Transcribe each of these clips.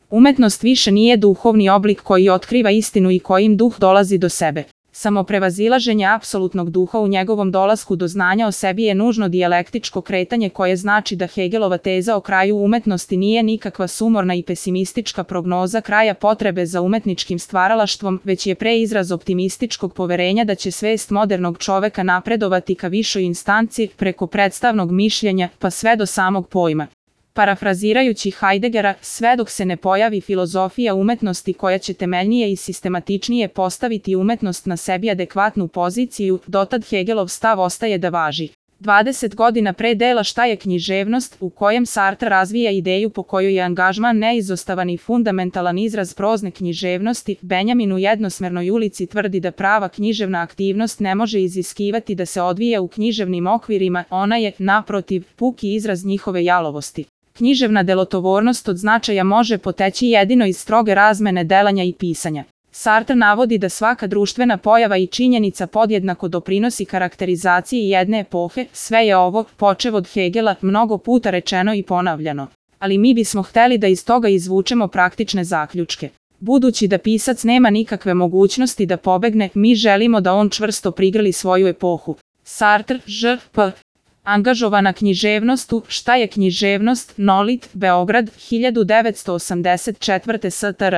Umetnost više nije duhovni oblik koji otkriva istinu i kojim duh dolazi do sebe. Samo prevazilaženje apsolutnog duha u njegovom dolasku do znanja o sebi je nužno dijalektičko kretanje koje znači da Hegelova teza o kraju umetnosti nije nikakva sumorna i pesimistička prognoza kraja potrebe za umetničkim stvaralaštvom, već je pre izraz optimističkog poverenja da će svest modernog čoveka napredovati ka višoj instanci preko predstavnog mišljenja pa sve do samog pojma. Parafrazirajući Heideggera, sve dok se ne pojavi filozofija umetnosti koja će temeljnije i sistematičnije postaviti umetnost na sebi adekvatnu poziciju, dotad Hegelov stav ostaje da važi. 20 godina pre dela Šta je književnost, u kojem Sartre razvija ideju po kojoj je angažman neizostavan i fundamentalan izraz prozne književnosti, Benjamin u Jednosmernoj ulici tvrdi da prava književna aktivnost ne može iziskivati da se odvija u književnim okvirima, ona je, naprotiv, puki izraz njihove jalovosti. Književna delotvornost od značaja može poteći jedino iz stroge razmene delanja i pisanja. Sartre navodi da svaka društvena pojava i činjenica podjednako doprinosi karakterizaciji jedne epohe, sve je ovo, počev od Hegela, mnogo puta rečeno i ponavljano. Ali mi bismo hteli da iz toga izvučemo praktične zaključke. Budući da pisac nema nikakve mogućnosti da pobegne, mi želimo da on čvrsto prigrli svoju epohu. Sartre, Ž.P. Angažovana književnost u Šta je književnost, Nolit, Beograd, 1984. STR.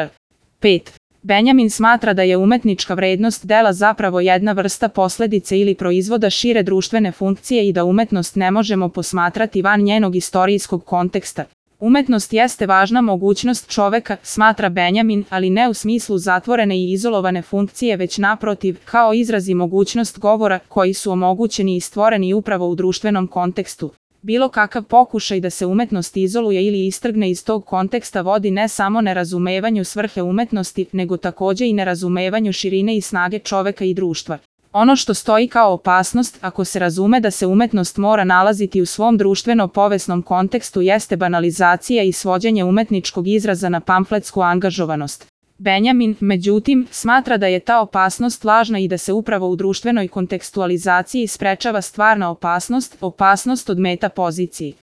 5. Benjamin smatra da je umetnička vrednost dela zapravo jedna vrsta posledice ili proizvoda šire društvene funkcije i da umetnost ne možemo posmatrati van njenog istorijskog konteksta. Umetnost jeste važna mogućnost čoveka, smatra Benjamin, ali ne u smislu zatvorene i izolovane funkcije, već naprotiv, kao izraz i mogućnost govora koji su omogućeni i stvoreni upravo u društvenom kontekstu. Bilo kakav pokušaj da se umetnost izoluje ili istrgne iz tog konteksta vodi ne samo nerazumevanju svrhe umetnosti, nego takođe i nerazumevanju širine i snage čoveka i društva. Ono što stoji kao opasnost, ako se razume da se umetnost mora nalaziti u svom društveno-povesnom kontekstu, jeste banalizacija i svođenje umetničkog izraza na pamfletsku angažovanost. Benjamin, međutim, smatra da je ta opasnost lažna i da se upravo u društvenoj kontekstualizaciji sprečava stvarna opasnost od meta pozicije.